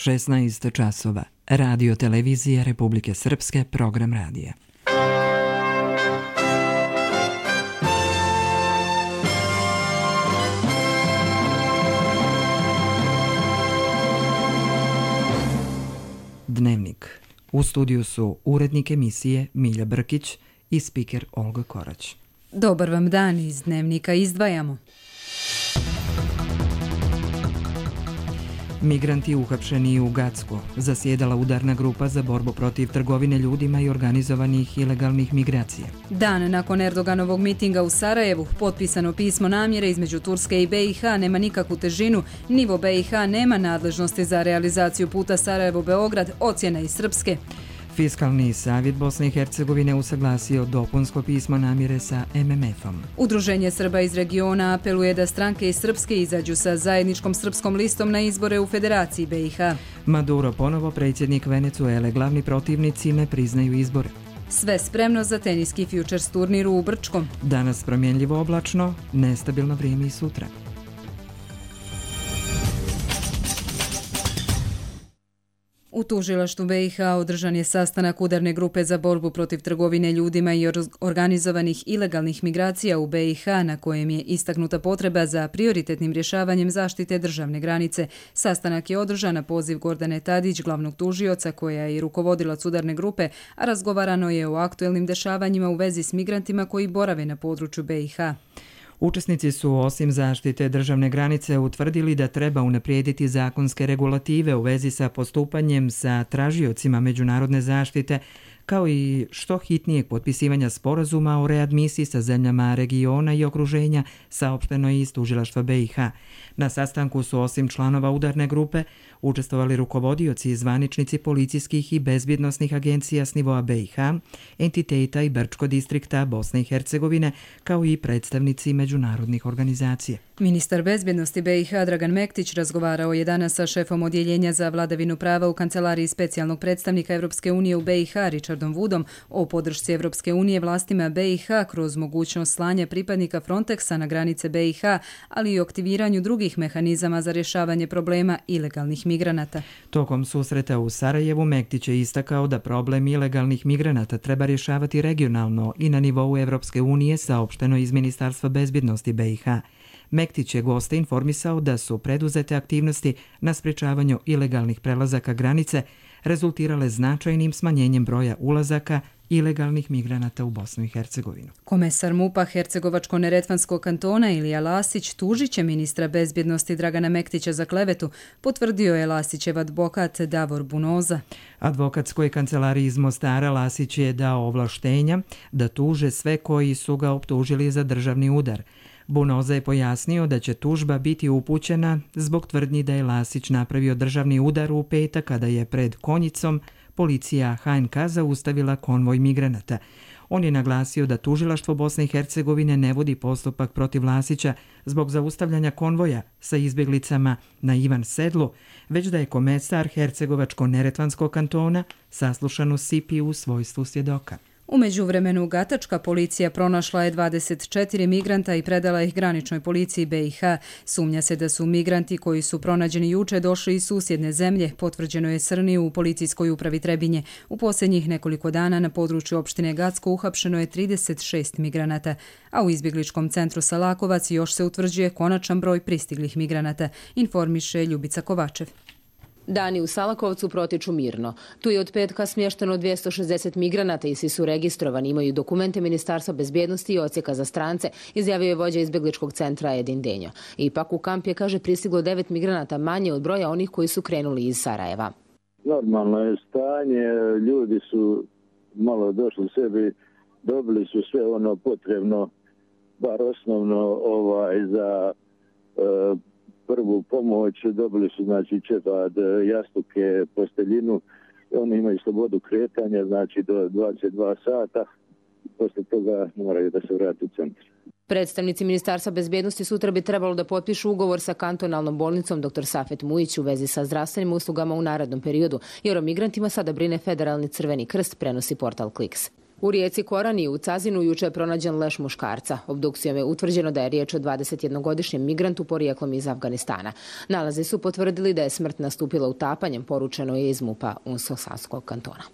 16 časova. Radio televizije Republike Srpske, program radija. Dnevnik. U studiju su urednik emisije Milja Brkić i spiker Olga Korać. Dobar vam dan, iz Dnevnika izdvajamo. Migranti uhapšeni u Gacku. Zasjedala udarna grupa za borbu protiv trgovine ljudima i organizovanih ilegalnih migracija. Dan nakon Erdoganovog mitinga u Sarajevu, potpisano pismo namjere između Turske i BiH nema nikakvu težinu. Nivo BiH nema nadležnosti za realizaciju puta Sarajevo-Beograd, ocjena iz Srpske. Fiskalni savjet Bosne i Hercegovine usaglasio dopunsko pismo namjere sa MMF-om. Udruženje Srba iz regiona apeluje da stranke iz Srpske izađu sa zajedničkom srpskom listom na izbore u Federaciji BiH. Maduro ponovo predsjednik Venecuele, glavni protivnici ne priznaju izbore. Sve spremno za teniski Futures turnir u Brčkom. Danas promjenljivo oblačno, nestabilno vrijeme i sutra. U tužilaštvu BiH održan je sastanak udarne grupe za borbu protiv trgovine ljudima i organizovanih ilegalnih migracija u BiH, na kojem je istaknuta potreba za prioritetnim rješavanjem zaštite državne granice. Sastanak je održan na poziv Gordane Tadić, glavnog tužioca, koja je i rukovodilac udarne grupe, a razgovarano je o aktuelnim dešavanjima u vezi s migrantima koji borave na području BiH. Učesnici su osim zaštite državne granice utvrdili da treba unaprijediti zakonske regulative u vezi sa postupanjem sa tražiocima međunarodne zaštite, kao i što hitnijeg potpisivanja sporazuma o readmisiji sa zemljama regiona i okruženja, saopšteno je iz tužilaštva BiH. Na sastanku su osim članova udarne grupe učestvovali rukovodioci i zvaničnici policijskih i bezbjednosnih agencija s nivoa BiH, entiteta i Brčko distrikta Bosne i Hercegovine, kao i predstavnici međunarodnih organizacija. Ministar bezbjednosti BiH Dragan Mektić razgovarao je danas sa šefom odjeljenja za vladavinu prava u kancelariji specijalnog predstavnika Europske unije u BiH Richardom Woodom o podršci Europske unije vlastima BiH kroz mogućnost slanja pripadnika Frontexa na granice BiH, ali i aktiviranju drugih mehanizama za rješavanje problema ilegalnih migranata. Tokom susreta u Sarajevu Mektić je istakao da problem ilegalnih migranata treba rješavati regionalno i na nivou Europske unije, saopšteno iz Ministarstva bezbjednosti BiH. Mektić je goste informisao da su preduzete aktivnosti na sprječavanju ilegalnih prelazaka granice rezultirale značajnim smanjenjem broja ulazaka ilegalnih migranata u Bosnu i Hercegovinu. Komesar MUP-a Hercegovačko-neretvanskog kantona Ilija Lasić tužit će ministra bezbjednosti Dragana Mektića za klevetu, potvrdio je Lasićev advokat Davor Bunoza. Advokatskoj kancelariji iz Mostara Lasić je dao ovlaštenja da tuže sve koji su ga optužili za državni udar. Bunoza je pojasnio da će tužba biti upućena zbog tvrdnji da je Lasić napravio državni udar u petak kada je pred Konjicom policija HNK zaustavila konvoj migranata. On je naglasio da tužilaštvo Bosne i Hercegovine ne vodi postupak protiv Lasića zbog zaustavljanja konvoja sa izbjeglicama na Ivan Sedlu, već da je komesar Hercegovačko-neretvanskog kantona saslušan u Sipi u svojstvu svjedoka. U međuvremenu gatačka policija pronašla je 24 migranta i predala ih graničnoj policiji BiH. Sumnja se da su migranti koji su pronađeni juče došli iz susjedne zemlje, potvrđeno je Srni u policijskoj upravi Trebinje. U posljednjih nekoliko dana na području opštine Gacko uhapšeno je 36 migranata, a u izbjegličkom centru Salakovac još se utvrđuje konačan broj pristiglih migranata, informiše Ljubica Kovačev. Dani u Salakovcu protiču mirno. Tu je od petka smješteno 260 migranata i svi su registrovani, imaju dokumente Ministarstva bezbjednosti i odsjeka za strance, izjavio je vođa izbjegličkog centra Edin Denjo. Ipak u kamp je, kaže, pristiglo 9 migranata manje od broja onih koji su krenuli iz Sarajeva. Normalno je stanje, ljudi su malo došli sebi, dobili su sve ono potrebno, bar osnovno za prvu pomoć, dobili su znači četvrt jastuke, posteljinu, oni imaju slobodu kretanja, znači do 22 sata, posle toga moraju da se vrati u centar. Predstavnici Ministarstva bezbjednosti sutra bi trebalo da potpišu ugovor sa kantonalnom bolnicom dr. Safet Mujić u vezi sa zdravstvenim uslugama u narednom periodu, jer o migrantima sada brine Federalni crveni krst, prenosi portal Kliks. U rijeci Korani u Cazinu juče je pronađen leš muškarca. Obdukcijom je utvrđeno da je riječ o 21-godišnjem migrantu porijeklom iz Afganistana. Nalazi su potvrdili da je smrt nastupila utapanjem, poručeno je iz MUP-a Unsko-Sanskog kantona.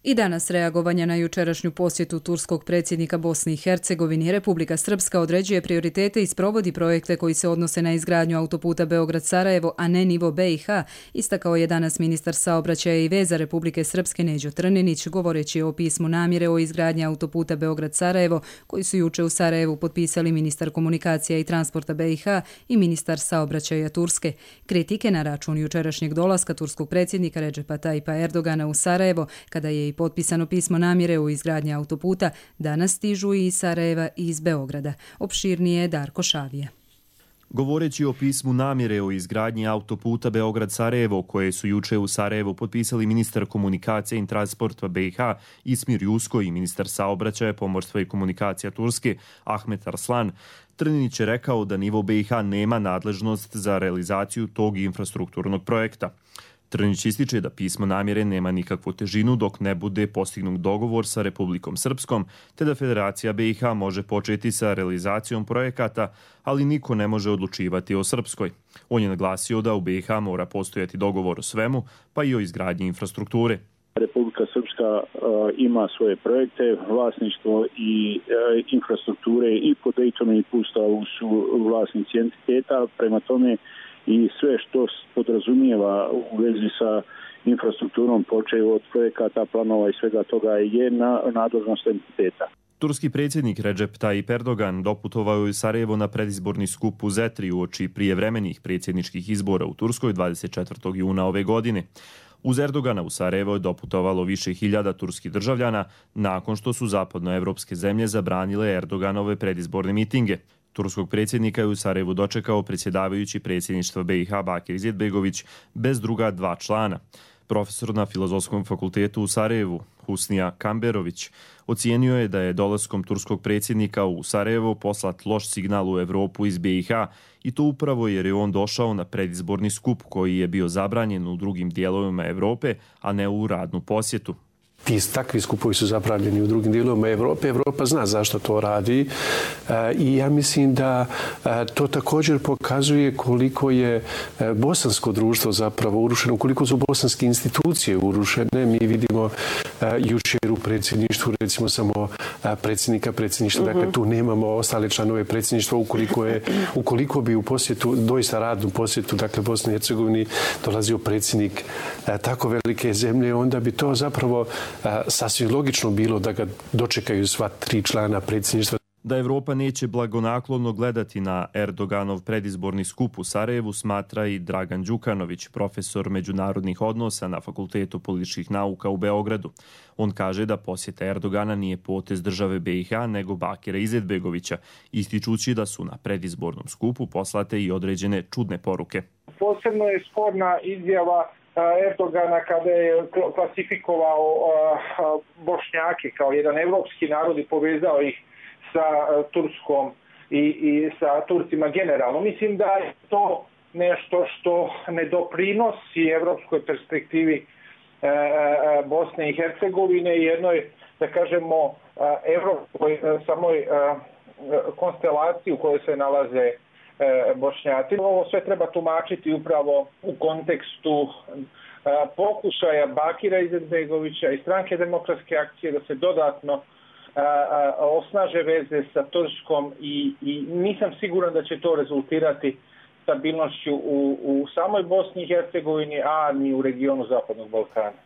I danas reagovanja na jučerašnju posjetu turskog predsjednika Bosne i Hercegovine, Republika Srpska određuje prioritete i sprovodi projekte koji se odnose na izgradnju autoputa Beograd-Sarajevo, a ne nivo BiH, istakao je danas ministar saobraćaja i veza Republike Srpske Neđo Trninić, govoreći o pismu namjere o izgradnji autoputa Beograd-Sarajevo, koji su juče u Sarajevu potpisali ministar komunikacija i transporta BiH i ministar saobraćaja Turske. Kritike na račun jučerašnjeg dolaska turskog predsjednika Redžepa Tajipa Erdogana u Sarajevo, kada je i potpisano pismo namjere o izgradnji autoputa, danas stižu i iz Sarajeva i iz Beograda. Opširnije je Darko Šavije. Govoreći o pismu namjere o izgradnji autoputa Beograd-Sarajevo, koje su juče u Sarajevu potpisali ministar komunikacije i transporta BiH Ismir Jusko i ministar saobraćaja, pomorstva i komunikacija Turske Ahmet Arslan, Trninić je rekao da nivo BiH nema nadležnost za realizaciju tog infrastrukturnog projekta. Trninić ističe da pismo namjere nema nikakvu težinu dok ne bude postignut dogovor sa Republikom Srpskom, te da Federacija BiH može početi sa realizacijom projekata, ali niko ne može odlučivati o Srpskoj. On je naglasio da u BiH mora postojati dogovor o svemu, pa i o izgradnji infrastrukture. Republika Srpska ima svoje projekte, vlasništvo i infrastrukture i po Daytonu i po Ustavu su vlasnici entiteta, prema tome i sve što podrazumijeva u vezi sa infrastrukturom, počev od projekata, planova i svega toga je na nadležnost entiteta. Turski predsjednik Recep Tayyip Erdogan doputovao je u Sarajevo na predizborni skup u Zetri uoči prijevremenih predsjedničkih izbora u Turskoj 24. juna ove godine. Uz Erdogana u Sarajevo je doputovalo više hiljada turskih državljana nakon što su zapadnoevropske zemlje zabranile Erdoganove predizborne mitinge. Turskog predsjednika je u Sarajevu dočekao predsjedavajući predsjedništva BiH Bakir Izetbegović bez druga dva člana. Profesor na Filozofskom fakultetu u Sarajevu, Husnija Kamberović, ocijenio je da je dolaskom turskog predsjednika u Sarajevo poslat loš signal u Evropu iz BiH i to upravo jer je on došao na predizborni skup koji je bio zabranjen u drugim dijelovima Evrope, a ne u radnu posjetu. Takvi skupovi su zabranjeni u drugim dijelovima Evrope. Evropa zna zašto to radi i ja mislim da to također pokazuje koliko je bosansko društvo zapravo urušeno, koliko su bosanske institucije urušene. Mi vidimo jučer u predsjedništvu recimo samo predsjednika predsjedništva, dakle tu nemamo ostale članove predsjedništva. Ukoliko bi u posjetu, doista radnu posjetu, dakle Bosni i Hercegovini dolazio predsjednik tako velike zemlje, onda bi to zapravo sasvim logično bilo da ga dočekaju sva tri člana predsjedništva. Da Evropa neće blagonaklono gledati na Erdoganov predizborni skup u Sarajevu smatra i Dragan Đukanović, profesor međunarodnih odnosa na Fakultetu političkih nauka u Beogradu. On kaže da posjeta Erdogana nije potez države BiH nego Bakira Izetbegovića, ističući da su na predizbornom skupu poslate i određene čudne poruke. Posebno je sporna izjava Erdogana kada je klasifikovao Bošnjake kao jedan evropski narod i povezao ih sa Turskom i sa Turcima generalno. Mislim da je to nešto što ne doprinosi evropskoj perspektivi Bosne i Hercegovine i jednoj, da kažemo, evropskoj samoj konstelaciji u kojoj se nalaze Bošnjaci. Ovo sve treba tumačiti upravo u kontekstu pokušaja Bakira Izetbegovića i Stranke demokratske akcije da se dodatno osnaže veze sa Turskom i nisam siguran da će to rezultirati stabilnošću u samoj Bosni i Hercegovini, a ni u regionu Zapadnog Balkana.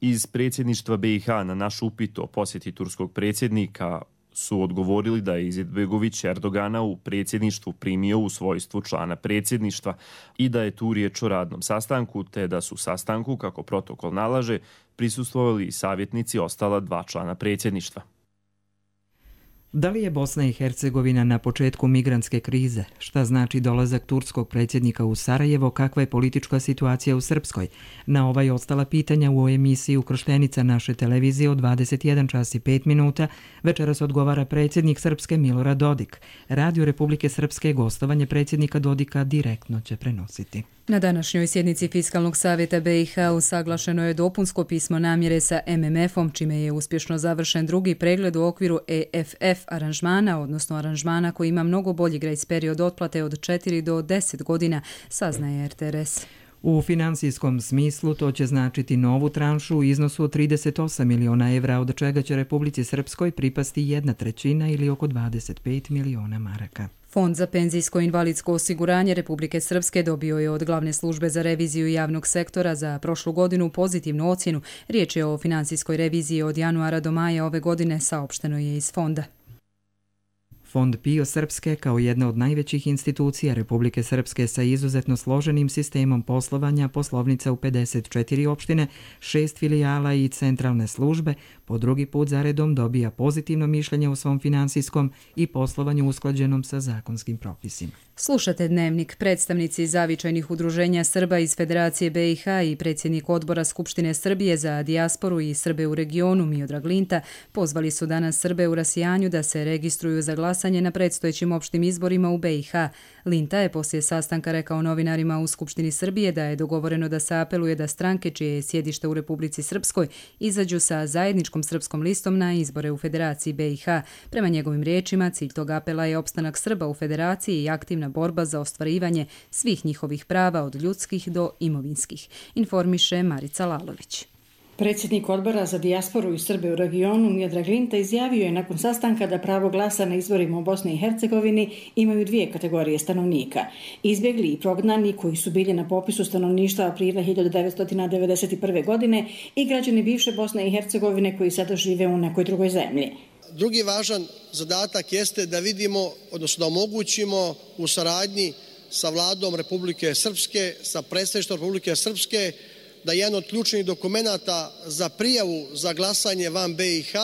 Iz predsjedništva BiH na naš upit o posjeti turskog predsjednika su odgovorili da je Izetbegović Erdogana u predsjedništvu primio u svojstvu člana predsjedništva i da je tu riječ o radnom sastanku, te da su sastanku, kako protokol nalaže, prisustvovali i savjetnici ostala dva člana predsjedništva. Da li je Bosna i Hercegovina na početku migrantske krize? Šta znači dolazak turskog predsjednika u Sarajevo? Kakva je politička situacija u Srpskoj? Na ova i ostala pitanja u emisiji Ukrštenica naše televizije od 21:05 večeras odgovara predsjednik Srpske Milorad Dodik. Radio Republike Srpske gostovanje predsjednika Dodika direktno će prenositi. Na današnjoj sjednici Fiskalnog savjeta BiH usaglašeno je dopunsko pismo namjere sa MMF-om, čime je uspješno završen drugi pregled u okviru EFF aranžmana, odnosno aranžmana koji ima mnogo bolji grace period otplate od 4 do 10 godina, saznaje RTRS. U financijskom smislu to će značiti novu tranšu u iznosu od 38 miliona evra, od čega će Republici Srpskoj pripasti 1/3 ili oko 25 miliona maraka. Fond za penzijsko invalidsko osiguranje Republike Srpske dobio je od Glavne službe za reviziju javnog sektora za prošlu godinu pozitivnu ocjenu. Riječ je o financijskoj reviziji od januara do maja ove godine, saopšteno je iz fonda. Fond PIO Srpske, kao jedna od najvećih institucija Republike Srpske sa izuzetno složenim sistemom poslovanja, poslovnica u 54 opštine, 6 filijala i centralne službe, po drugi put zaredom dobija pozitivno mišljenje u svom finansijskom i poslovanju usklađenom sa zakonskim propisima. Slušate Dnevnik. Predstavnici zavičajnih udruženja Srba iz Federacije BiH i predsjednik odbora Skupštine Srbije za dijasporu i Srbe u regionu Miodrag Linta pozvali su danas Srbe u Rasijanju da se registruju za glasanje na predstojećim opštim izborima u BiH. Linta je poslije sastanka rekao novinarima u Skupštini Srbije da je dogovoreno da se apeluje da stranke čije je sjedište u Republici Srpskoj izađu sa zajedničkom srpskom listom na izbore u Federaciji BiH. Prema njegovim riječima, cilj tog apela je opstanak Srba u Federaciji i aktivna borba za ostvarivanje svih njihovih prava od ljudskih do imovinskih, informiše Marica Lalović. Predsjednik odbora za dijasporu i Srbe u regionu Miodrag Linta izjavio je nakon sastanka da pravo glasa na izborima u Bosni i Hercegovini imaju dvije kategorije stanovnika. Izbjegli i prognani koji su bili na popisu stanovništva aprila 1991. godine i građani bivše Bosne i Hercegovine koji sada žive u nekoj drugoj zemlji. Drugi važan zadatak jeste da vidimo, odnosno da omogućimo u saradnji sa vladom Republike Srpske, sa predstavništvom Republike Srpske, da jedan od ključnih dokumenata za prijavu za glasanje van BiH,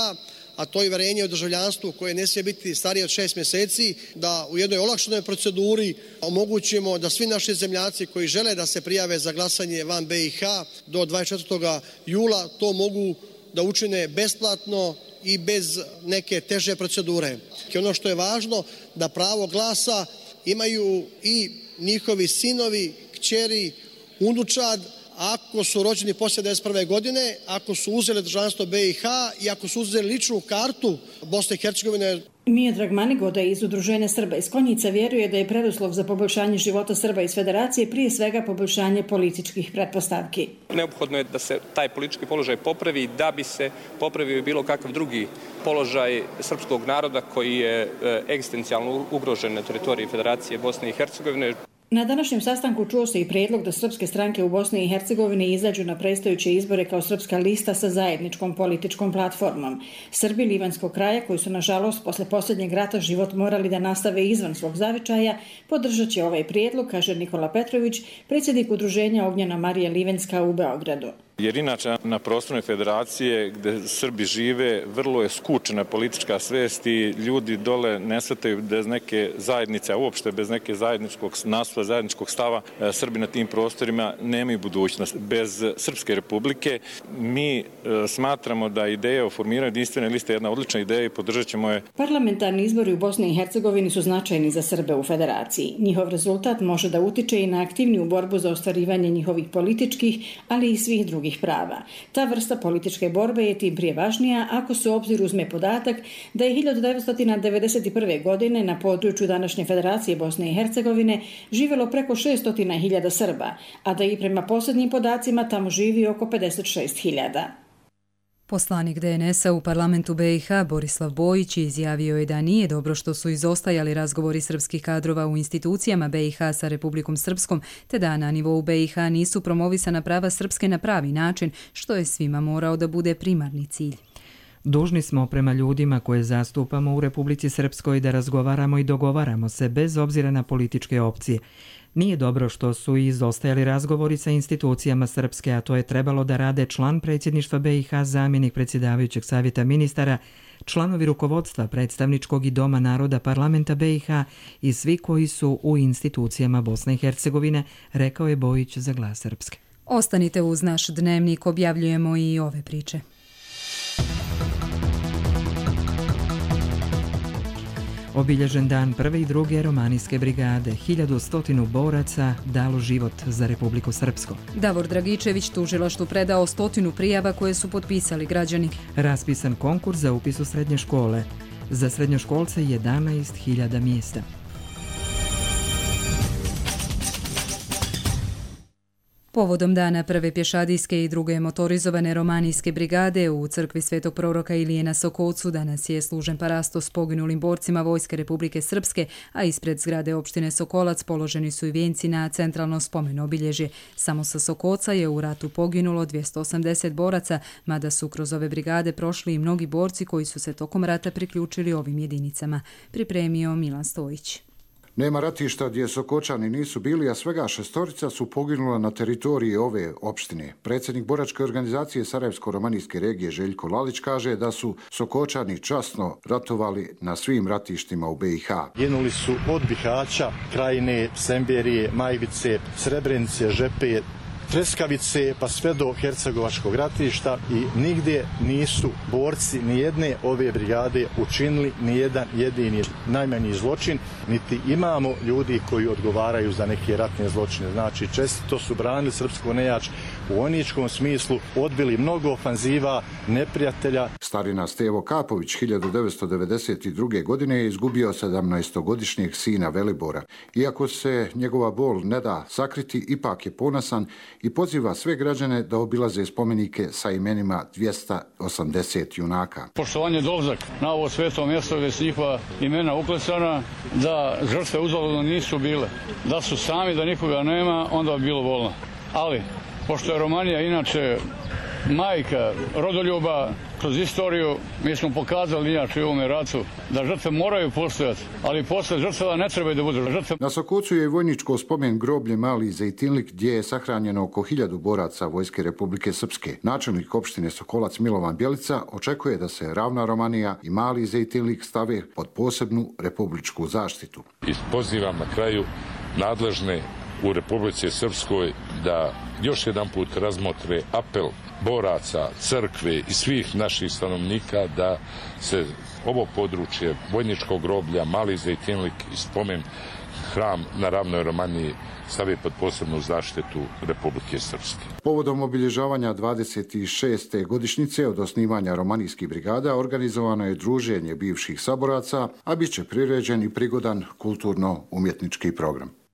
a to je uverenje o državljanstvu koje ne smije biti starije od 6 mjeseci, da u jednoj olakšanoj proceduri omogućimo da svi naši zemljaci koji žele da se prijave za glasanje van BiH do 24. jula to mogu da učine besplatno i bez neke teže procedure. I ono što je važno, da pravo glasa imaju i njihovi sinovi, kćeri, unučad, ako su rođeni poslije 1991. godine, ako su uzeli državljanstvo BiH i ako su uzeli ličnu kartu Bosne i Hercegovine. Miodrag Manigoda iz Udruženja Srba iz Konjica vjeruje da je preduslov za poboljšanje života Srba iz Federacije prije svega poboljšanje političkih pretpostavki. Neophodno je da se taj politički položaj popravi, da bi se popravio bilo kakav drugi položaj srpskog naroda koji je egzistencijalno ugrožen na teritoriji Federacije Bosne i Hercegovine. Na današnjem sastanku čuo se i prijedlog da srpske stranke u Bosni i Hercegovini izađu na predstojeće izbore kao srpska lista sa zajedničkom političkom platformom. Srbi Livanskog kraja, koji su nažalost posle posljednjeg rata život morali da nastave izvan svog zavičaja, podržat će ovaj prijedlog, kaže Nikola Petrović, predsjednik udruženja Ognjena Marija Livenska u Beogradu. Jer inače na prostornoj federacije gdje Srbi žive vrlo je skučena politička svest i ljudi dole ne shvataju bez neke zajednice, a uopšte bez neke zajedničkog nastupa, zajedničkog stava Srbi na tim prostorima nemaju budućnost. Bez Srpske republike mi smatramo da ideja o formiranju jedinstvene liste je jedna odlična ideja i podržat ćemo je. Parlamentarni izbori u Bosni i Hercegovini su značajni za Srbe u Federaciji. Njihov rezultat može da utiče i na aktivniju borbu za ostvarivanje njihovih političkih, ali i svih drugih prava. Ta vrsta političke borbe je tim prije važnija ako se u obzir uzme podatak da je 1991. godine na području današnje Federacije Bosne i Hercegovine živjelo preko 600.000 Srba, a da i prema posljednjim podacima tamo živi oko 56.000. Poslanik DNS-a u parlamentu BiH Borislav Bojić izjavio je da nije dobro što su izostajali razgovori srpskih kadrova u institucijama BiH sa Republikom Srpskom, te da na nivou BiH nisu promovisana prava Srpske na pravi način, što je svima morao da bude primarni cilj. Dužni smo prema ljudima koje zastupamo u Republici Srpskoj da razgovaramo i dogovaramo se bez obzira na političke opcije. Nije dobro što su izostajali razgovori sa institucijama Srpske, a to je trebalo da rade član predsjedništva BiH, zamjenik predsjedavajućeg savjeta ministara, članovi rukovodstva predstavničkog i Doma naroda parlamenta BiH i svi koji su u institucijama Bosne i Hercegovine, rekao je Bojić za Glas Srpske. Ostanite uz naš dnevnik, objavljujemo i ove priče. Obilježen dan prve i druge romanijske brigade, 1100 boraca dalo život za Republiku Srpsku. Davor Dragičević tužilaštvu predao 100 prijava koje su potpisali građani. Raspisan konkurs za upis u srednje škole. Za srednjoškolce 11.000 mjesta. Povodom dana prve pješadijske i druge motorizovane romanijske brigade u crkvi Svetog proroka Ilije na Sokolcu danas je služen parasto s poginulim borcima Vojske Republike Srpske, a ispred zgrade opštine Sokolac položeni su i vijenci na centralno spomen obilježje. Samo sa Sokolca je u ratu poginulo 280 boraca, mada su kroz ove brigade prošli i mnogi borci koji su se tokom rata priključili ovim jedinicama. Pripremio Milan Stojić. Nema ratišta gdje Sokočani nisu bili, a svega 6 su poginula na teritoriji ove opštine. Predsjednik boračke organizacije Sarajevsko-romanijske regije Željko Lalić kaže da su Sokočani časno ratovali na svim ratištima u BiH. Ginuli su od Bihaća, Krajine, Semberije, Majvice, Srebrenice, Žepe, Treskavice pa sve do Hercegovačkog ratišta i nigdje nisu borci nijedne ove brigade učinili nijedan jedini najmanji zločin, niti imamo ljudi koji odgovaraju za neke ratne zločine. Znači, čestito su branili srpsko nejač u vojničkom smislu, odbili mnogo ofanziva neprijatelja. Starina Stevo Kapović 1992. godine je izgubio 17-godišnjeg sina Velibora. Iako se njegova bol ne da sakriti, ipak je ponosan i poziva sve građane da obilaze spomenike sa imenima 280 junaka. Poštovanje dolazak na ovo sveto mjesto gdje su njihova imena uklesana, da žrtve uzaludno nisu bile. Da su sami, da nikoga nema, onda bi bilo bolno. Ali, pošto je Romanija inače majka rodoljuba, kroz istoriju mi smo pokazali inače u ovome ratu da žrtve moraju postojati, ali posle žrtava ne trebaju da budu žrtve. Na Sokolcu je vojničko spomen groblje Mali Zejtinlik gdje je sahranjeno oko 1000 boraca Vojske Republike Srpske. Načelnik opštine Sokolac Milovan Bjelica očekuje da se Ravna Romanija i Mali Zejtinlik stave pod posebnu republičku zaštitu. I pozivam na kraju nadležne u Republici Srpskoj da još jedan put razmotre apel boraca, crkve i svih naših stanovnika da se ovo područje vojničkog groblja Mali Zejtinlik i spomen hram na Ravnoj Romaniji stavi pod posebnu zaštitu Republike Srpske. Povodom obilježavanja 26. godišnjice od osnivanja romanijskih brigada organizovano je druženje bivših saboraca, a bit će priređen i prigodan kulturno-umjetnički program.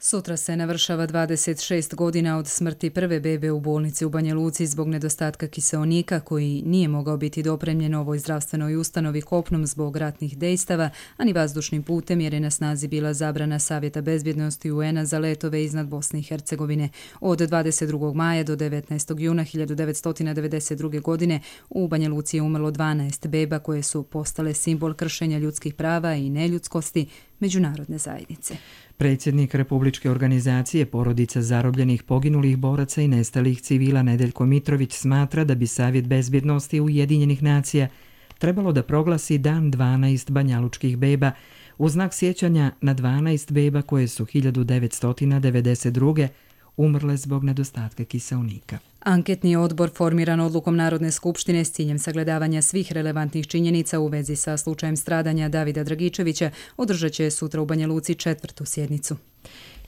Sutra se navršava 26 godina od smrti prve bebe u bolnici u Banja Luci zbog nedostatka kiseonika koji nije mogao biti dopremljen ovoj zdravstvenoj ustanovi kopnom zbog ratnih dejstava, a ni vazdušnim putem jer je na snazi bila zabrana Savjeta bezbjednosti UN-a za letove iznad Bosne i Hercegovine. Od 22. maja do 19. juna 1992. godine u Banja Luci je umrlo 12 beba koje su postale simbol kršenja ljudskih prava i neljudskosti međunarodne zajednice. Predsjednik Republičke organizacije porodica zarobljenih, poginulih boraca i nestalih civila Nedeljko Mitrović smatra da bi Savjet bezbjednosti Ujedinjenih nacija trebalo da proglasi dan 12 banjalučkih beba u znak sjećanja na 12 beba koje su 1992. umrle zbog nedostatka kiseonika. Anketni odbor formiran odlukom Narodne skupštine s ciljem sagledavanja svih relevantnih činjenica u vezi sa slučajem stradanja Davida Dragičevića održat će sutra u Banja Luci 4. sjednicu.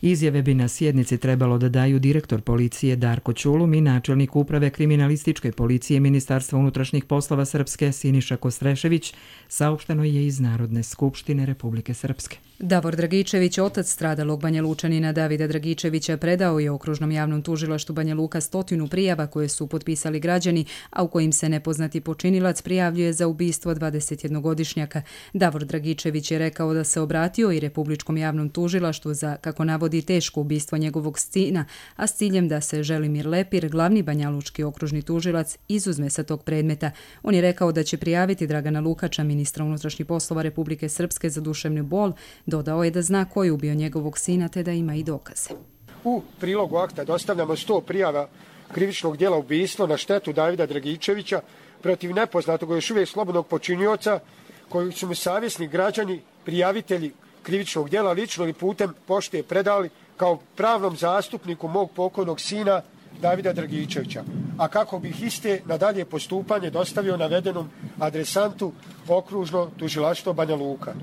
Izjave bi na sjednici trebalo da daju direktor policije Darko Ćulum i načelnik uprave kriminalističke policije Ministarstva unutrašnjih poslova Srpske Siniša Kostrešević, saopšteno je iz Narodne skupštine Republike Srpske. Davor Dragičević, otac stradalog Banja Lučanina Davida Dragičevića, predao je Okružnom javnom tužilaštvu Banja Luka 100 prijava koje su potpisali građani, a u kojim se nepoznati počinilac prijavljuje za ubistvo 21-godišnjaka. Davor Dragičević je rekao da se obratio i Republičkom javnom tužilaštvu za, kako navodi, teško ubistvo njegovog sina, a s ciljem da se Želimir Lepir, glavni banjalučki okružni tužilac, izuzme sa tog predmeta. On je rekao da će prijaviti Dragana Lukača, ministra unutrašnjih poslova Republike Srpske, za duševni bol. Dodao je da zna ko je ubio njegovog sina te da ima i dokaze. U prilogu akta dostavljamo 100 prijava krivičnog djela ubistva na štetu Davida Dragičevića protiv nepoznatog još uvijek slobodnog počinioca koji su mu savjesni građani, prijavitelji krivičnog djela lično ili putem pošte predali kao pravnom zastupniku mog pokojnog sina Davida Dragičevića, a kako bih iste na dalje postupanje dostavio navedenom adresantu Okružno tužilaštvo Banja Luka.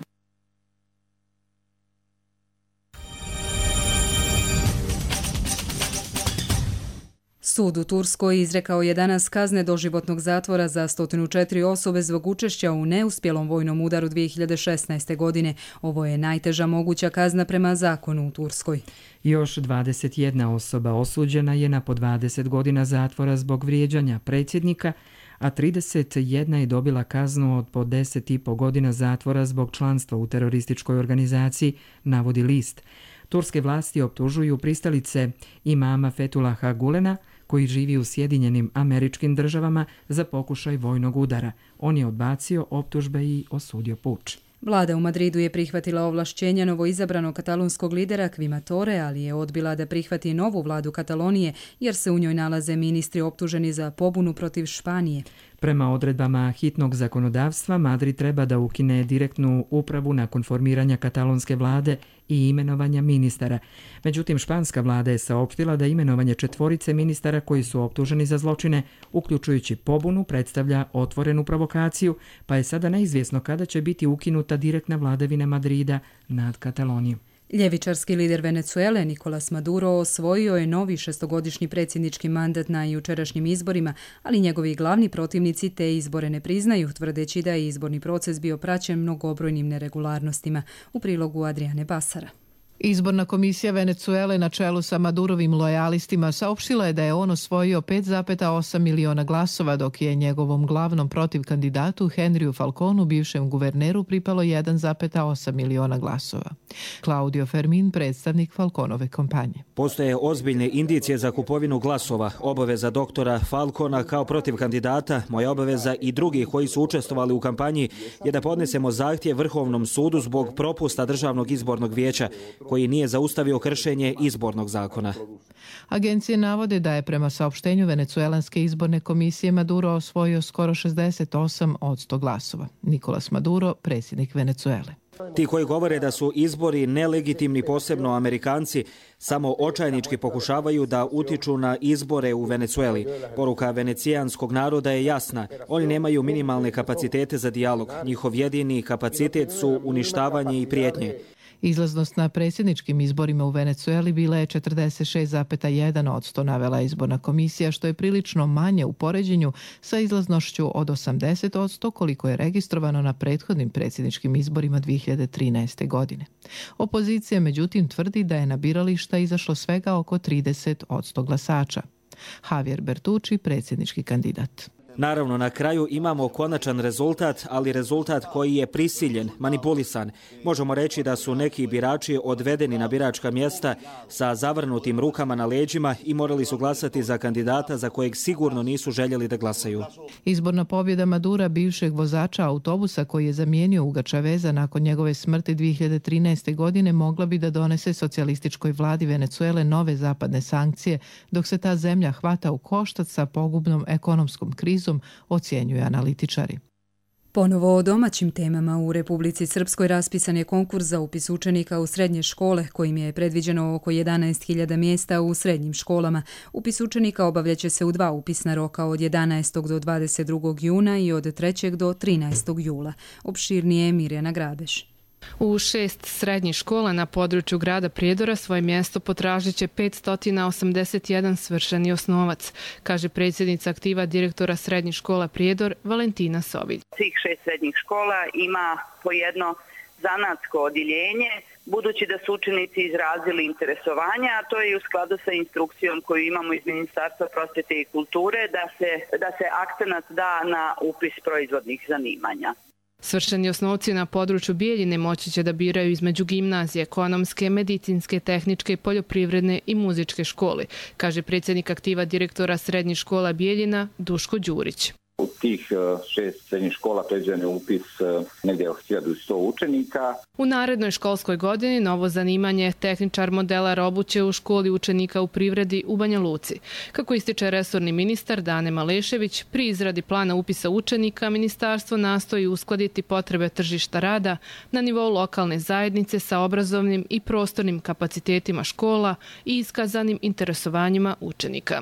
Sud u Turskoj izrekao je danas kazne doživotnog zatvora za 104 osobe zbog učešća u neuspjelom vojnom udaru 2016. godine. Ovo je najteža moguća kazna prema zakonu u Turskoj. Još 21 osoba osuđena je na po 20 godina zatvora zbog vrijeđanja predsjednika, a 31 je dobila kaznu od po 10,5 godina zatvora zbog članstva u terorističkoj organizaciji, navodi list. Turske vlasti optužuju pristalice imama Fethullaha Gulena, koji živi u Sjedinjenim Američkim Državama, za pokušaj vojnog udara. On je odbacio optužbe i osudio puč. Vlada u Madridu je prihvatila ovlašćenja novoizabranog katalonskog lidera Quima Torre, ali je odbila da prihvati novu vladu Katalonije, jer se u njoj nalaze ministri optuženi za pobunu protiv Španije. Prema odredbama hitnog zakonodavstva, Madrid treba da ukine direktnu upravu nakon formiranja katalonske vlade i imenovanja ministara. Međutim, španska vlada je saopštila da imenovanje 4 ministara koji su optuženi za zločine, uključujući pobunu, predstavlja otvorenu provokaciju, pa je sada neizvjesno kada će biti ukinuta direktna vladavina Madrida nad Katalonijom. Ljevičarski lider Venezuele Nicolás Maduro osvojio je novi 6-godišnji predsjednički mandat na jučerašnjim izborima, ali njegovi glavni protivnici te izbore ne priznaju, tvrdeći da je izborni proces bio praćen mnogobrojnim neregularnostima. U prilogu Adriane Basara. Izborna komisija Venezuele na čelu sa Madurovim lojalistima saopštila je da je on osvojio 5,8 miliona glasova, dok je njegovom glavnom protivkandidatu Henriju Falconu, bivšem guverneru, pripalo 1,8 miliona glasova. Claudio Fermin, predstavnik Falconove kampanje. Postoje ozbiljne indicije za kupovinu glasova. Obaveza doktora Falcona kao protivkandidata, moja obaveza i drugih koji su učestvovali u kampanji je da podnesemo zahtjev Vrhovnom sudu zbog propusta Državnog izbornog vijeća, koji nije zaustavio kršenje izbornog zakona. Agencije navode da je prema saopštenju Venecuelanske izborne komisije Maduro osvojio skoro 68% glasova. Nicolás Maduro, predsjednik Venecuele. Ti koji govore da su izbori nelegitimni, posebno Amerikanci, samo očajnički pokušavaju da utiču na izbore u Venecueli. Poruka venecijanskog naroda je jasna. Oni nemaju minimalne kapacitete za dijalog. Njihov jedini kapacitet su uništavanje i prijetnje. Izlaznost na predsjedničkim izborima u Venecueli bila je 46,1%, navela izborna komisija, što je prilično manje u poređenju sa izlaznošću od 80%, koliko je registrovano na prethodnim predsjedničkim izborima 2013. godine. Opozicija međutim tvrdi da je na birališta izašlo svega oko 30% glasača. Javier Bertucci, predsjednički kandidat. Naravno, na kraju imamo konačan rezultat, ali rezultat koji je prisiljen, manipulisan. Možemo reći da su neki birači odvedeni na biračka mjesta sa zavrnutim rukama na leđima i morali su glasati za kandidata za kojeg sigurno nisu željeli da glasaju. Izborna pobjeda Madura, bivšeg vozača autobusa koji je zamijenio Huga Chaveza nakon njegove smrti 2013. godine, mogla bi da donese socijalističkoj vladi Venecuele nove zapadne sankcije, dok se ta zemlja hvata u koštac sa pogubnom ekonomskom krizom, ocjenjuju analitičari. Ponovo o domaćim temama. U Republici Srpskoj raspisan je konkurs za upis učenika u srednje škole, kojim je predviđeno oko 11.000 mjesta u srednjim školama. Upis učenika obavljaće se u 2 upisna roka, od 11. do 22. juna i od 3. do 13. jula. Opširnije Mirjana Grabeš. U 6 srednjih škola na području grada Prijedora svoje mjesto potražit će 581 svršeni osnovac, kaže predsjednica aktiva direktora srednjih škola Prijedor Valentina Sovilj. Svih 6 srednjih škola ima po jedno zanatsko odjeljenje, budući da su učenici izrazili interesovanje, a to je u skladu sa instrukcijom koju imamo iz Ministarstva prosvjete i kulture, da se akcenat da na upis proizvodnih zanimanja. Svršeni osnovci na području Bijeljine moći će da biraju između gimnazije, ekonomske, medicinske, tehničke, poljoprivredne i muzičke škole, kaže predsjednik aktiva direktora srednjih škola Bijeljina Duško Đurić. U tih 6 srednjih škola predviđen je upis negdje od 1100 učenika. U narednoj školskoj godini novo zanimanje tehničar modelar obuće u školi učenika u privredi u Banja Luci. Kako ističe resorni ministar Dane Malešević, pri izradi plana upisa učenika ministarstvo nastoji uskladiti potrebe tržišta rada na nivou lokalne zajednice sa obrazovnim i prostornim kapacitetima škola i iskazanim interesovanjima učenika.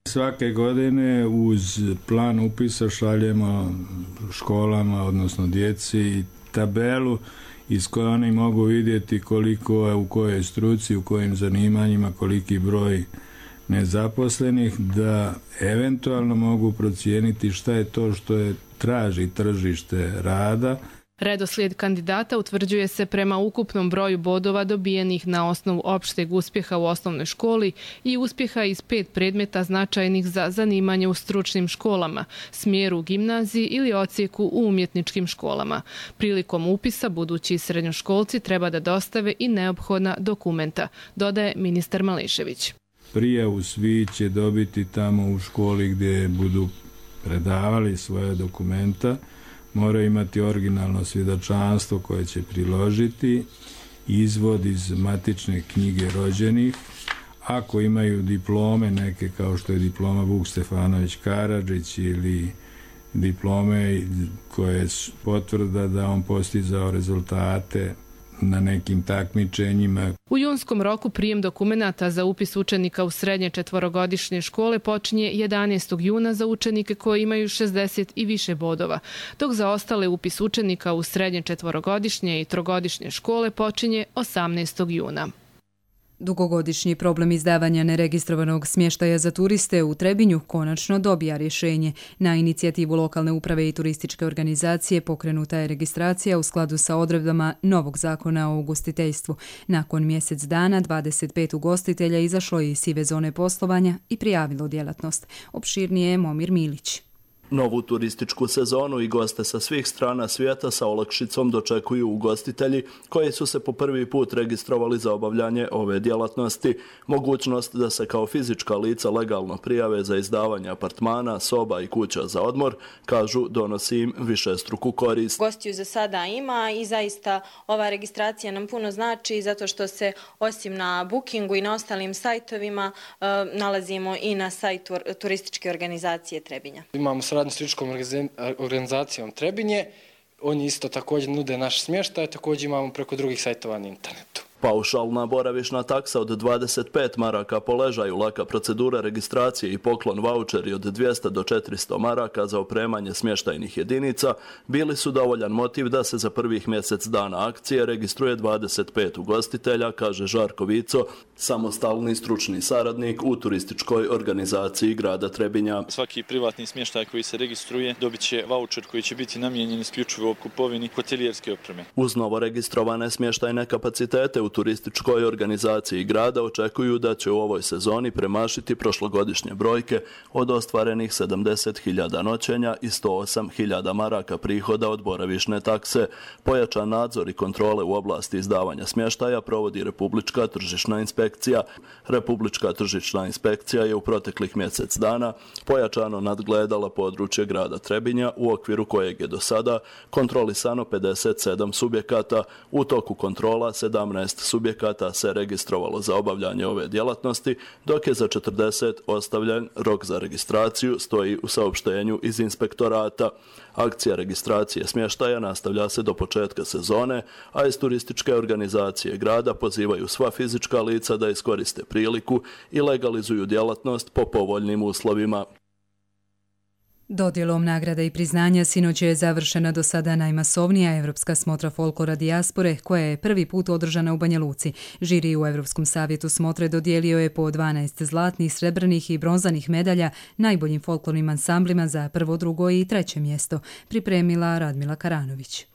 Svake godine uz plan upisa šaljemo školama, odnosno djeci, tabelu iz koje oni mogu vidjeti koliko je u kojoj struci, u kojim zanimanjima, koliki broj nezaposlenih, da eventualno mogu procijeniti šta je to što je traži tržište rada. Redoslijed kandidata utvrđuje se prema ukupnom broju bodova dobijenih na osnovu opšteg uspjeha u osnovnoj školi i uspjeha iz 5 predmeta značajnih za zanimanje u stručnim školama, smjeru u gimnaziji ili odsjeku u umjetničkim školama. Prilikom upisa budući srednjoškolci treba da dostave i neophodna dokumenta, dodaje ministar Malešević. Prijavu svi će dobiti tamo u školi gdje budu predavali svoje dokumenta. Moraju imati originalno svjedočanstvo koje će priložiti, izvod iz matične knjige rođenih. Ako imaju diplome neke kao što je diploma Vuk Stefanović Karadžić ili diplome koje potvrda da on postizao rezultate na nekim takmičenjima. U junskom roku prijem dokumenata za upis učenika u srednje četvorogodišnje škole počinje 11. juna za učenike koji imaju 60 i više bodova, dok za ostale upis učenika u srednje četvorogodišnje i trogodišnje škole počinje 18. juna. Dugogodišnji problem izdavanja neregistrovanog smještaja za turiste u Trebinju konačno dobija rješenje. Na inicijativu lokalne uprave i turističke organizacije pokrenuta je registracija u skladu sa odredbama novog zakona o ugostiteljstvu. Nakon mjesec dana 25 ugostitelja izašlo je iz sive zone poslovanja i prijavilo djelatnost. Opširnije je Momir Milić. Novu turističku sezonu i goste sa svih strana svijeta sa olakšicom dočekuju ugostitelji koji su se po prvi put registrovali za obavljanje ove djelatnosti. Mogućnost da se kao fizička lica legalno prijave za izdavanje apartmana, soba i kuća za odmor, kažu, donosi im višestruku korist. Gostiju za sada ima i zaista ova registracija nam puno znači zato što se osim na Bookingu i na ostalim sajtovima nalazimo i na sajtu turističke organizacije Trebinja. Imamo s turističkom organizacijom Trebinje. Oni isto također nude naš smještaj, također imamo preko drugih sajtova na internetu. Paušalna boravišna taksa od 25 maraka po ležaju, laka procedura registracije i poklon vaučeri od 200 do 400 maraka za opremanje smještajnih jedinica bili su dovoljan motiv da se za prvih mjesec dana akcije registruje 25 ugostitelja, kaže Žarko Vico, samostalni stručni saradnik u turističkoj organizaciji grada Trebinja. Svaki privatni smještaj koji se registruje dobit će vaučer koji će biti namijenjen isključivo kupovini hotelijerske opreme. Uz novo registrovane smještajne kapacitete u turističkoj organizaciji grada očekuju da će u ovoj sezoni premašiti prošlogodišnje brojke od ostvarenih 70.000 noćenja i 108.000 maraka prihoda od boravišne takse. Pojačan nadzor i kontrole u oblasti izdavanja smještaja provodi Republička tržišna inspekcija. Republička tržišna inspekcija je u proteklih mjesec dana pojačano nadgledala područje grada Trebinja u okviru kojeg je do sada kontrolisano 57 subjekata. U toku kontrola 17 subjekata se registrovalo za obavljanje ove djelatnosti, dok je za 40 ostavljen rok za registraciju, stoji u saopštenju iz inspektorata. Akcija registracije smještaja nastavlja se do početka sezone, a iz turističke organizacije grada pozivaju sva fizička lica da iskoriste priliku i legalizuju djelatnost po povoljnim uslovima. Dodjelom nagrada i priznanja sinoć je završena do sada najmasovnija evropska smotra folklora dijaspore, koja je prvi put održana u Banja Luci. Žiri u Evropskom savjetu smotre dodijelio je po 12 zlatnih, srebrnih i bronzanih medalja najboljim folklornim ansamblima za prvo, drugo i treće mjesto, pripremila Radmila Karanović.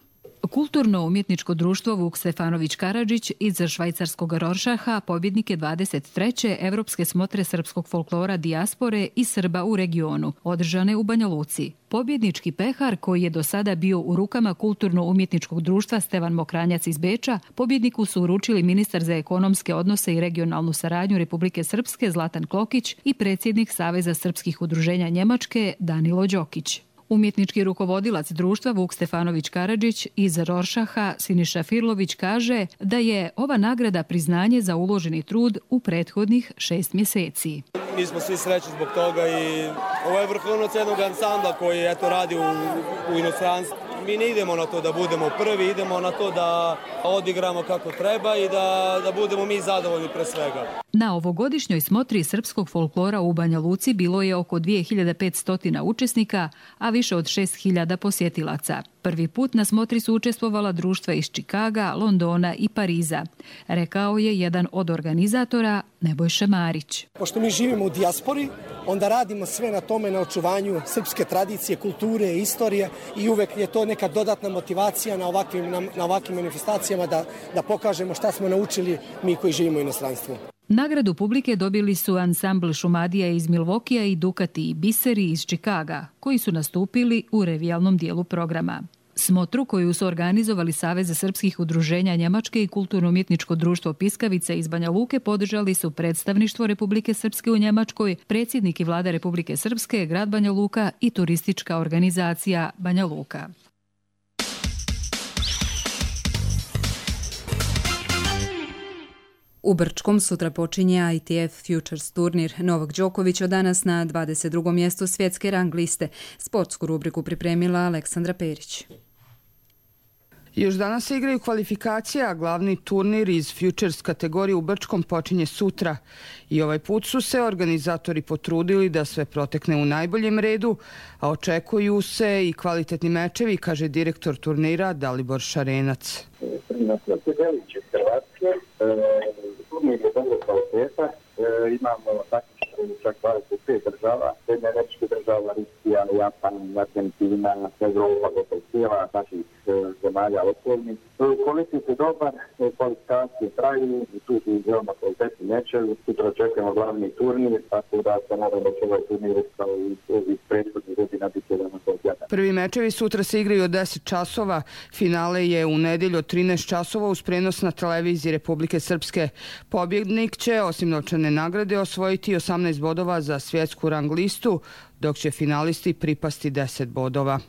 Kulturno-umjetničko društvo Vuk Stefanović Karadžić iz švajcarskog Roršaha pobjednik je 23. Evropske smotre srpskog folklora dijaspore i Srba u regionu, održane u Banja Luci. Pobjednički pehar, koji je do sada bio u rukama Kulturno-umjetničkog društva Stevan Mokranjac iz Beča, pobjedniku su uručili ministar za ekonomske odnose i regionalnu saradnju Republike Srpske Zlatan Klokić i predsjednik Saveza srpskih udruženja Njemačke Danilo Đokić. Umjetnički rukovodilac društva Vuk Stefanović Karadžić iz Roršaha Siniša Firlović kaže da je ova nagrada priznanje za uloženi trud u prethodnih 6 mjeseci. Mi smo svi srećni zbog toga i ovo je vrhunac jednog ansambla koji radi u inostranstvu mi ne idemo na to da budemo prvi, idemo na to da odigramo kako treba i da budemo mi zadovoljni pre svega. Na ovogodišnjoj smotri srpskog folklora u Banja Luci bilo je oko 2500 učesnika, a više od 6000 posjetilaca. Prvi put na smotri su učestvovala društva iz Čikaga, Londona i Pariza, rekao je jedan od organizatora, Nebojša Marić. Pošto mi živimo u dijaspori, onda radimo sve na tome, na očuvanju srpske tradicije, kulture, istorije i uvek je to neka dodatna motivacija na ovakvim manifestacijama da pokažemo šta smo naučili mi koji živimo u inostranstvu. Nagradu publike dobili su ansambl Šumadija iz Milvokija i Dukati i Biseri iz Čikaga, koji su nastupili u revijalnom dijelu programa. Smotru koju su organizovali Savez srpskih udruženja Njemačke i Kulturno-umjetničko društvo Piskavica iz Banja Luke podržali su predstavništvo Republike Srpske u Njemačkoj, predsjednik i vlada Republike Srpske, grad Banja Luka i turistička organizacija Banja Luka. U Brčkom sutra počinje ITF Futures turnir. Novak Đoković od danas na 22. mjestu svjetske rang liste. Sportsku rubriku pripremila Aleksandra Perić. Još danas se igraju kvalifikacije, a glavni turnir iz Futures kategorije u Brčkom počinje sutra. I ovaj put su se organizatori potrudili da sve protekne u najboljem redu, a očekuju se i kvalitetni mečevi, kaže direktor turnira Dalibor Šarenac. Turnir je dobro kvaliteta, imamo taktično čak 25 država, Sjedinjene Američke država, Rusija, Japan, Argentina, Evropa, gotovo cijela naših zemalja okolnih. Kvalitet je dobar, kvalifikacije traju, tu su veoma kvalitetni mečevi, sutra očekujemo glavni turnir, tako da se nadam da će ovaj turnir kao i prethodnih godina biti jedan kvalitetna. Prvi mečevi sutra se igraju od 10 časova, finale je u nedjelju od 13 časova uz prenos na televiziji Republike Srpske. Pobjednik će osim novčane nagrade osvojiti 18 bodova za svjetsku rang listu, dok će finalisti pripasti 10 bodova.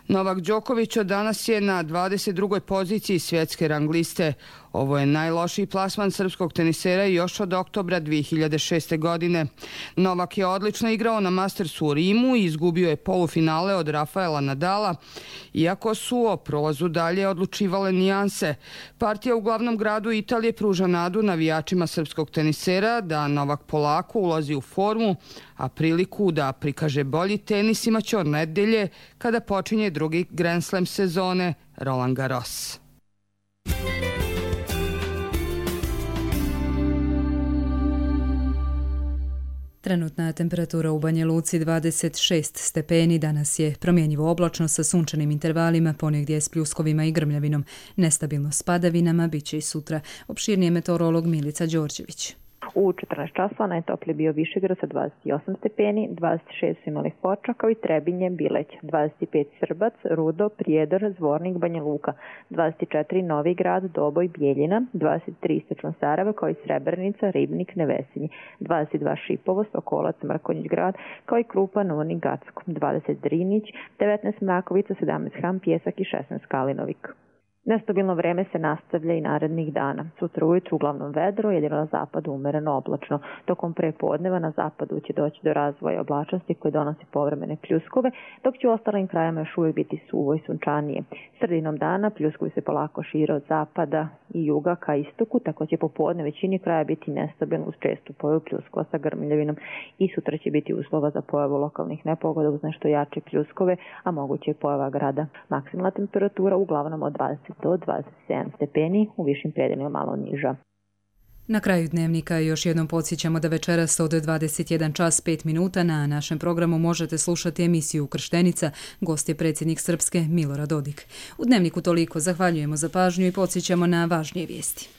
Novak Đoković od danas je na 22. poziciji svjetske rang liste. Ovo je najlošiji plasman srpskog tenisera još od oktobra 2006. godine. Novak je odlično igrao na Mastersu u Rimu i izgubio je polufinale od Rafaela Nadala, iako su o prolazu dalje odlučivale nijanse. Partija u glavnom gradu Italije pruža nadu navijačima srpskog tenisera da Novak polako ulazi u formu, a priliku da prikaže bolji tenis imaće od nedelje kada počinje drugi Grand Slam sezone Roland Garros. Trenutna temperatura u Banja Luci 26 stepeni, danas je promjenjivo oblačno sa sunčanim intervalima, ponegdje s pljuskovima i grmljavinom. Nestabilno s padavinama biće i sutra. Opširnije meteorolog Milica Đorđević. U 14 časova najtoplije bio Višegrad sa 28 stepeni, 26 su imali Foča kao i Trebinje, Bileć, 25 Srbac, Rudo, Prijedor, Zvornik, Banja Luka, 24 Novi Grad, Doboj, Bijeljina, 23 Istočno Sarajevo kao i Srebrenica, Ribnik, Nevesinji, 22 Šipovo, Sokolac, Mrkonjić Grad kao i Krupa, Novnik, Gacko, 20 Drinić, 19 Mrakovica, 17 Ham, Pjesak i 16 Kalinovik. Nestabilno vreme se nastavlja i narednih dana. Sutra ujutru uglavnom vedro, jedino na zapadu umereno oblačno. Tokom prepodneva na zapadu će doći do razvoja oblačnosti koje donosi povremene pljuskove, dok će u ostalim krajima još uvijek biti suvo i sunčanije. Sredinom dana pljuskovi se polako šire od zapada i juga ka istoku, tako će popodne većini kraja biti nestabilno uz čestu pojavu pljuskova sa grmljavinom i sutra će biti uslova za pojavu lokalnih nepogoda uz nešto jače pljuskove, a moguće je pojava grada. Maksimalna temperatura uglavnom od 20 do 27 stepeni, u višim predelima malo niža. Na kraju dnevnika još jednom podsjećamo da večeras od 21 čas 5 minuta na našem programu možete slušati emisiju Krštenica. Gost je predsjednik Srpske Milorad Dodik. U dnevniku toliko, zahvaljujemo za pažnju i podsjećamo na važnije vijesti.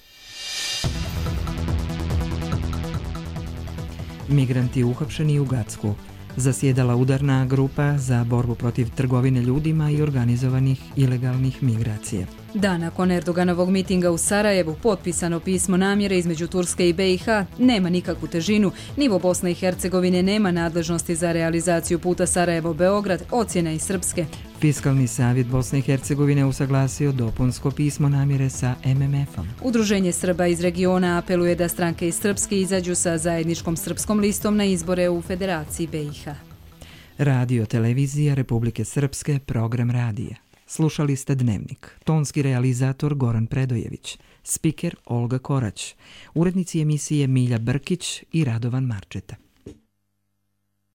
Migranti uhapšeni u Gacku. Zasjedala udarna grupa za borbu protiv trgovine ljudima i organizovanih ilegalnih migracija. Da, nakon Erdoganovog mitinga u Sarajevu potpisano pismo namjere između Turske i BiH nema nikakvu težinu. Nivo Bosne i Hercegovine nema nadležnosti za realizaciju puta Sarajevo-Beograd, ocjena i Srpske. Fiskalni savjet Bosne i Hercegovine usaglasio dopunsko pismo namjere sa MMF-om. Udruženje Srba iz regiona apeluje da stranke iz Srpske izađu sa zajedničkom srpskom listom na izbore u Federaciji BiH. Radio televizija Republike Srpske, program radija. Slušali ste Dnevnik. Tonski realizator Goran Predojević. Spiker Olga Korać. Urednici emisije Milja Brkić i Radovan Marčeta.